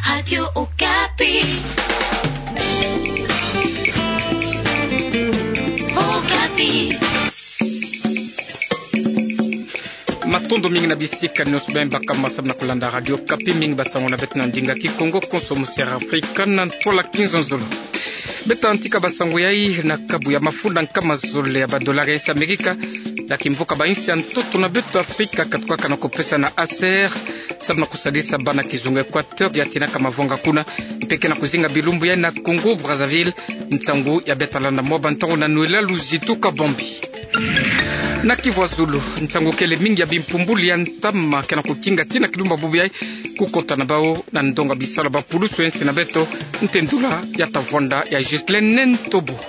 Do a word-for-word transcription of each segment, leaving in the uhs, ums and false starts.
Radio Okapi. Okapi. Matondo mingi na bisika nyonso bima baka masamu na kulanda Radio Okapi, mingi basango na beto na ndinga Kikongo, konso mu Sierra Afrika, na ntwala Kinzonzolo. Beto antika basango yai na kabu ya mafunda nkama zole ya ba dollar ya insi Amerika, ya kimvuka ba insi ya ntoto na beto Afrika katukaka na kupesa na Aser, samu na kusadisa bana kizunga Equateur ya tinaka mavwanga kuna, mpe ke na kuzinga bilumbu yai na Congo Brazzaville. Nsangu ya beto landa mwa ba ntangu na Noëlla Luzitu Kabambi. Na Kivu ya Zulu, nsangu kele mingi ya bimpumbulu ya ntama ke na kukinga tina kilumbu bubu yai kukota na bau na ndonga bisalu ya bapulusu ya insi na beto, ntendula ya ta vwanda ya Ghislaine Ntobo.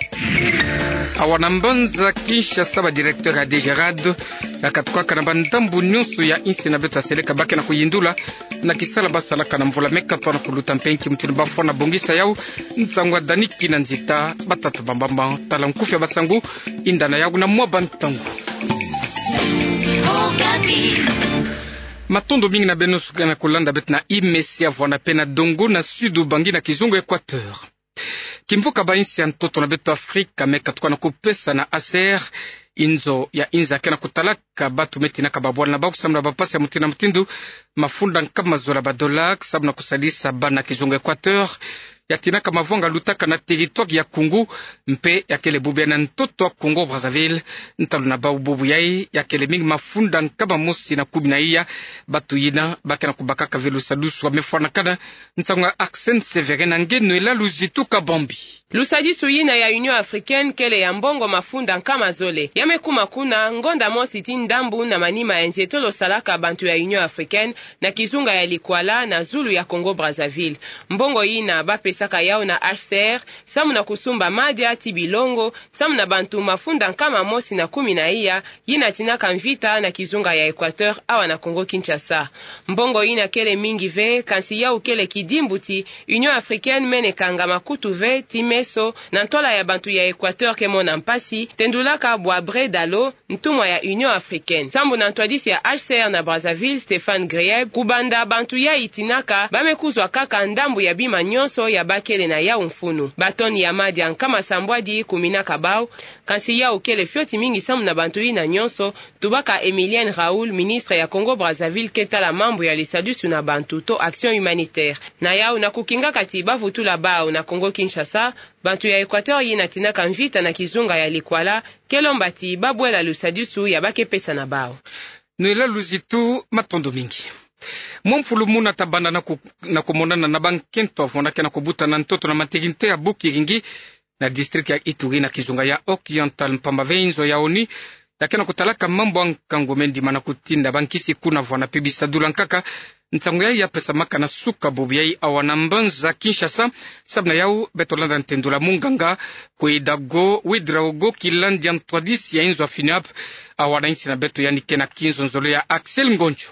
Awa na mbanza Kinshasa, ba directeur ya DGRAD ya katukaka na ba ndambu nyonso ya insi na beto ya seleka ba ke na kuyindula na kisala ba salaka na mvula me katoa na kuluta mpe nki mutindu ba fwana bongisa yau. Nsangu ya Dani Kinanzita, batata bambamba tala nkufi ya basangu, yinda na yau na mwa ba ntangu. Matondo mingi na beno nyonso ke na kulanda beto na Imesi ya Vwanda mpe na Dongo na Sud Ubangi na kizunga Equateur. Kimvuka ba insi ya ntoto na beto Afrika me katuka na kupesa na Aser, inzo ya inza ke na kutalaka batu me tinaka babwala na bau samu na bapasi ya mutindu na mutindu, mafunda nkama zole ya ba dollar samu na kusadisa bana kizunga Equateur ya tinaka mavwanga lutaka na territoire ya Congo, mpe ya kele bubu yai na ntoto ya Congo Brazzaville. Ntalu na bau bubu yai ya kele mingi mafunda nkama mosi na kumi na iya. Batu yina ba ke na kubakaka ve lusadusu ya me fwanakana. Nsangu ya Arsène Sévérin na nge Noëlla Luzitu Kabambi. Lusadisu yina ya Union Africaine kele ya mbongo mafunda nkama zole. Ya me kuma kuna ngonda mosi ti ndambu na manima ya nzietolo salaka bantu ya Union Africaine na kizunga ya Likwala na zulu ya Congo Brazzaville. Mbongo yina ba pesaka yau na H C R samu na kusumba madia ti bilongo, samu na bantu mafunda nkama mosi na kumi na iya, yina tinaka mvita na kizunga ya Equateur awa na Congo Kinshasa. Mbongo yina kele mingi ve, kansi yau kele kidimbu ti Union Africaine mene kanga makutu ve ti meso na ntwala ya bantu ya Equateur ke mona mpasi, tendulaka bwa Breda Lo, ntumwa ya Union Africaine. Sambu na ntwadisi ya H C R na Brazzaville, Stéphane Grieb, kubanda bantu yai tinaka, ba me kuzwa kaka ndambu ya bima nyonso ya ba kele na yau mfunu. Ba tonnes ya madia nkama sambwadi kuminaka bau, kansi yau kele fioti mingi samu na bantu yina nyonso, tubaka Emilienne Raoul, ministre ya Congo Brazzaville ke tala mambu ya lisadusu na bantu to action humanitaire. Na yau na kukingaka ti ba vutula bau na Congo Kinshasa, bantu ya Equateur yina tinaka mvita na kizunga ya Likwala, ke lomba ti ba bwela lusadusu ya ba ke pesa na bau. Noëlla Luzitu, matondo mingi. Mwa mfulu muna ta banda na ku-, na kumonana na bankento ya vwanda ke na kubuta na ntoto na maternité ya Bukiringi, na district ya Ituri na kizunga ya Oriental, mpamba ve inzo ya ONU ya ke na kutalaka mambu ya nkangu me ndimana kutinda bankisi kuna vwanda mpe bisadula nkaka. Nsangu yai ya pesamaka na suka bubu yai awa na mbanza Kinshasa. Samu na yau beto landa ntendula munganga Kwedago Ouedraogo, kilandi ya ntwadisi ya inzo ya FINUAP awa na insi na beto, yandi ke na kinzonzolo ya Axel Ngonjo.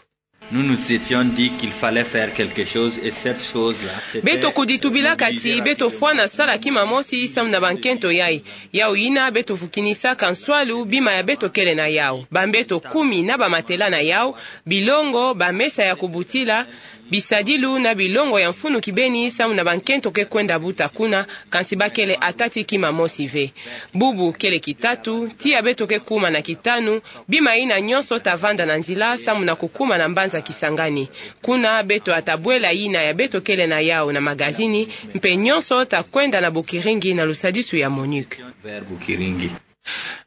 Nous nous étions dit qu'il fallait faire quelque chose et cette chose-là, c'était... Beto kuditubilaka ti beto fwana sala kima mosi samu na bankento yai. Yau yina beto vukinisaka nswalu bima ya beto kele na yau. Bambeto kumi na bamatela na yau, bilongo, bamesa ya kubutila, bisadilu na bilongo ya mfunu kibeni samu na bankento ke kwenda buta kuna, kansi ba kele ata ti kima mosi ve. Bubu kele kitatu, tiya beto ke kuma na kitanu, bima yina nyonso ta vanda na nzila samu na kukuma na mbanza Kisangani. Kuna beto ata bwela yina ya beto kele na yau na magazini, mpe nyonso ta kwenda na Bukiringi na lusadisu ya MONUC. Vers Bukiringi.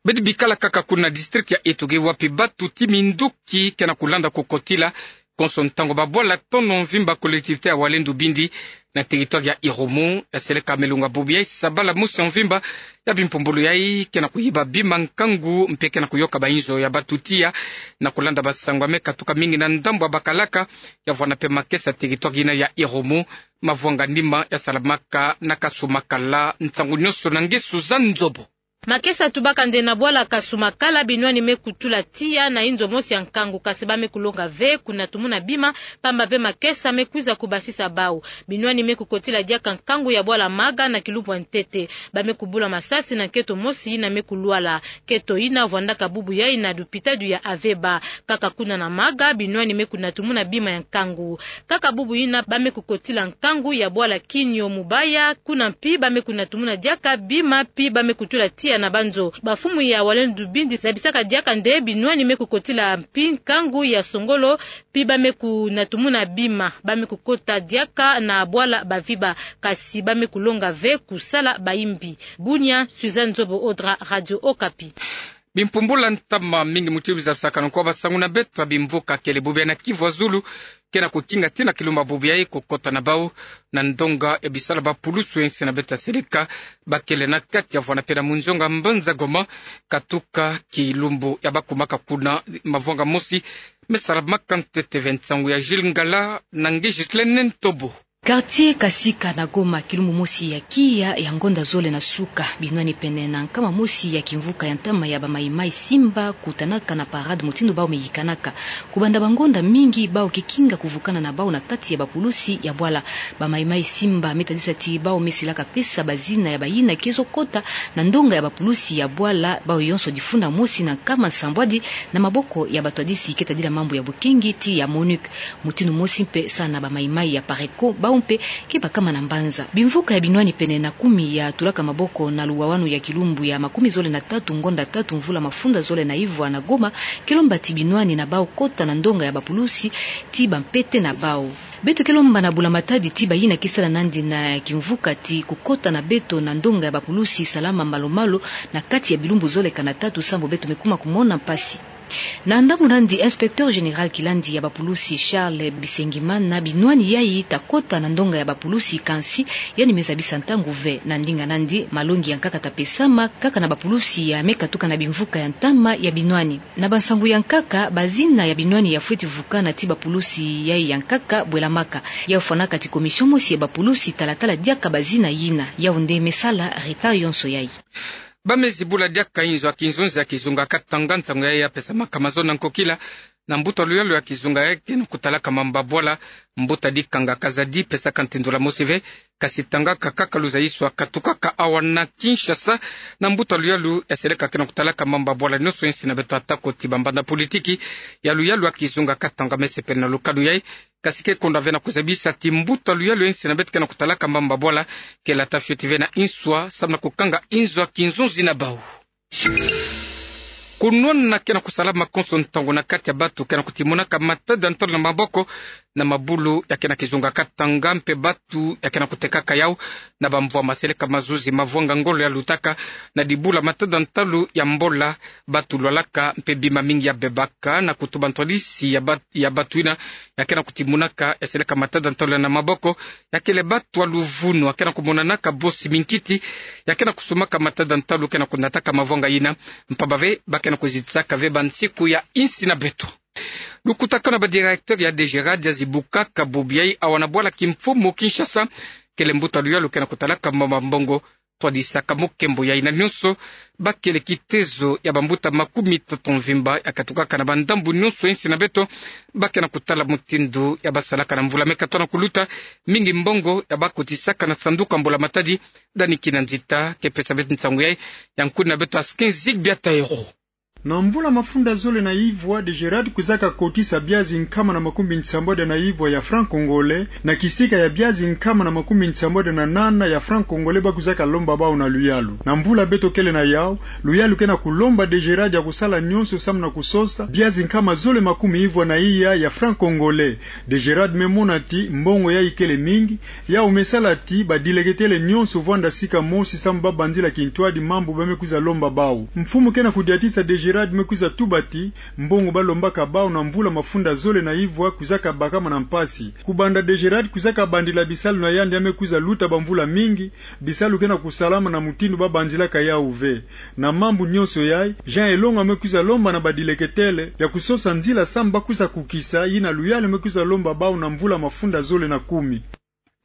Beto bikala kaka kuna na district ya Ituri, wapi batu ti minduki ke na kulanda kukotila, konso ntangu babwala tono mvimba collectivité ya Walendu Bindi na territoire ya Irumu, ya seleka melunga bubu yai sabala mosi ya mvimba, ya bimpumbulu yai ke na kuyiba bima nkangu mpe ke na kuyoka bainzo ya batu tiya. Na kulanda basango ya me katuka mingi na ndambu ya bakalaka ya vwanda mpe makesa ya territoire yina ya Irumu, mavwanga nima ya salamaka na Kasumakala. Nsangu nyonso na nge Suzanne Nzobo. Makesa tubaka nde na bwala Kasumakala binwani me kutula tiya na inzo mosi ya nkangu, kasi ba me kulonga ve kuna tumuna bima, pamba ve makesa me kwiza kubasisa bau. Binwani me kukotila diaka nkangu ya bwala Maga na kilumbu ya ntete. Ba me kubula masasi na nketo mosi yina me kulwala. Nketo yina vwandaka bubu yayi na lupitalu ya Aveba. Kaka kuna na Maga, binwani me kuna tumuna bima ya nkangu. Kaka bubu yina ba me kukotila nkangu ya bwala Kinio Mubaya, kuna mpi ba me kuna tumuna diaka bima, mpi ba me kutula tiya na banzo. Bamfumu ya Walendu Bindi zabisaka diaka nde binwani me kukotila mpi nkangu ya Songolo, mpi ba me kuna tumuna bima, ba me kukota diaka na bwala Baviba, kasi ba me kulonga ve kusala bayimbi. Bunia, Suzanne Nzobo Odra, Radio Okapi. Bimpumbula ntama mingi muti bizabisakana kwa basangu na beto ya bimvuka kele bubu ya na Kivu ya zulu, ke na kukinga tina kilumbu bubu yayi kukota na bau na ndonga ya bisalu ya bapulusu ya nsi na beto ya seleka, ba kele na kati ya vwanda mpe na munzonga mbanza Goma, katuka kilumbu ya bakumaka kuna mavanga mosi me salamaka ntete ve. Nsangu ya Jules Ngala na nge Ghislaine Ntobo. Quartier Kasika na Goma, kilumbu mosi ya kiya ya ngonda zole na suka, binwani pene na nkama mosi ya kimvuka ya ntama ya ba Mai Mai Simba kutanaka na parade mutindu bau me yikanaka. Kubanda bangonda mingi bau ke kinga kuvukana na bau na kati ya bapulusi ya bwala. Ba Mai Mai Simba me tadisa ti bau me silaka pesa bazina ya bayina ke zo kota na ndonga ya bapulusi ya bwala, bau yonso difunda mosi na nkama nsambwadi na maboko ya batwadisi ke tadila mambu ya bokengi ti ya MONUC. Mutindu mosi mpe sa na ba Mai Mai ya Pareco, bau mpe ke bakama na mbanza. Bimvuka ya binwani pene na kumi ya tulaka maboko na luwawanu ya kilumbu ya makumi zole na tatu ngonda tatu mvula mafunda zole na ivwa na Goma, ke lomba ti binwani na bau kota na ndonga ya bapulusi ti bampete na bau. Beto ke lomba na bula matadi ti bayina ke sala nandi na kimvuka ti kukota na beto na ndonga ya bapulusi salama malu-malu na kati ya bilumbu zole kana tatu, sambu beto me kuma kumona mpasi. Na ndambu nandi, inspecteur général kilandi ya bapulusi Charles Bisengimana, binwani yayi ta kota na ndonga ya bapulusi, kansi yandi me zabisa ntangu ve. Na ndinga nandi, malongi ya nkaka ta pesama kaka na bapulusi ya me katuka na bimvuka ya ntama ya binwani. Na bansangu ya nkaka, bazina ya binwani ya fweti vukana ti bapulusi yayi ya nkaka bwelamaka. Yau fwanaka ti commission mosi ya bapulusi tala-tala diaka bazina yina. Yau nde me sala retard yonso yayi. Ba me zibula diaka inzo ya kinzonzi ya kizunga Katanga, nsangu yayi ya pesamaka mazono na nkokila na mbuta luyalu ya kizunga yayi ke na kutalaka mambu ya bwala, mbuta Dikanga Kazadi, pesaka ntendula mosi ve, kasi tangaka kaka luzayiso ya katukaka awa na Kinshasa na mbuta luyalu ya seleka ke na kutalaka mambu ya bwala nionso ya nsi na beto, atako ti bambanda politiki ya luyalu ya kizunga Katanga me sepele na lukanu yayi. Kasi ke konda ve na kuzabisa ti mbuta luyalu ya nsi na beto ke na kutalaka mambu ya bwala ke lata fioti ve na inswa, samu na kukanga inzo ya kinzonzi na bau. Kunwana ke na kusalama konso ntangu na kati ya batu ke na kutimonaka matada ntalu na maboko na mabulu ya ke na kizunga Katanga, mpe batu ya ke na kutekaka yau na bamvwama seleka mazuzi mavwanga ngolo ya lutaka na dibula matada ntalu ya mbola, batu lwalaka mpe bima mingi ya bebaka, na kutuba ntwadisi ya bat-, ya batu yina ya ke na kutimonaka ya seleka matada ntalu na maboko, ya kele batu ya luvunu ya ke na kumonanaka bosi minkiti, ya ke na kusumaka matada ntalu ke na kunataka mavwanga yina, mpamba ve ba ke na kuzitisaka ve bansiku ya nsi na beto. Lukutakanu ya ba directeur ya DGRAD ya zibukaka bubu yayi awa na bwala kimfumu Kinshasa, kele mbuta luyalu ke na kutalaka mambu ya mbongo, twadisaka mukembo yayi na nionso, ba kele kitezo ya bambuta makumi tatu mvimba ya katukaka na bandambu nionso ya nsi na beto, ba ke na kutala mutindu ya basalaka na mvula me katoa na kuluta, mingi mbongo ya bakotisaka na sanduku ya mbula matadi. Dani Kinanzita ke pesa beto nsangu yayi, ya nkuni na beto Askin Zigbia Taero. Na mvula mafunda zole na ivwa, DGRAD kwizaka kotisa biazi nkama na makumbi nsambwadi na ivwa ya franc congolais, na kisika ya biazi nkama na makumbi nsambwadi na nana ya franc congolais ba kwizaka lomba bau na luyalu. Na mvula beto kele na yau, luyalu ke na kulomba DGRAD ya kusala nionso samu na kusosa biazi nkama zole makumi ivwa na iya ya franc congolais. DGRAD me mona ti mbongo yayi kele mingi, yau me sala ti badileketele nionso vwanda sika mosi samu ba banzila kintwadi mambu ba me kwiza lomba bau. Mfumu ke na kudiatisa DGRAD me kwiza tuba ti mbongo ba lombaka bau na mvula mafunda zole na ivwa kwizaka bakama na mpasi. Kubanda DGRAD kwizaka bandila bisalu na yandi ya me kwiza luta bamvula mingi, bisalu ke na kusalama na mutindu ba banzilaka yau ve. Na mambu nionso yayi, Jean Elonga me kwiza lomba na badileketele ya kusosa nzila samu ba kwiza kukisa yina luyalu me kwiza lomba bau na mvula mafunda zole na kumi.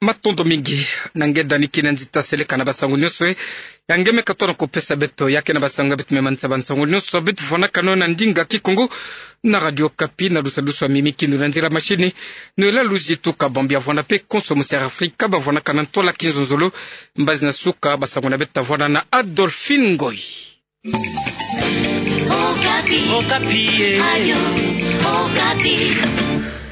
Matondo mingi. Na nge dani kina nzita seleka na basango nionso e, ya nge me katona kupesa beto ya kena basango ya beto me mansa basango nionso beto vwanakana na ndinga Kikongo na Radio Okapi. Na lusalusu a Mimi Kindu na nzila mashini, nwela Luzi Tuka Bambia vwana pe konso moseri Afrika bavwanakana ntwala kinzonzolo. Mbazi na suka basango na beto tavwana na Adolphine Ngoy. Okapi. Okapi, eh. Radio Okapi.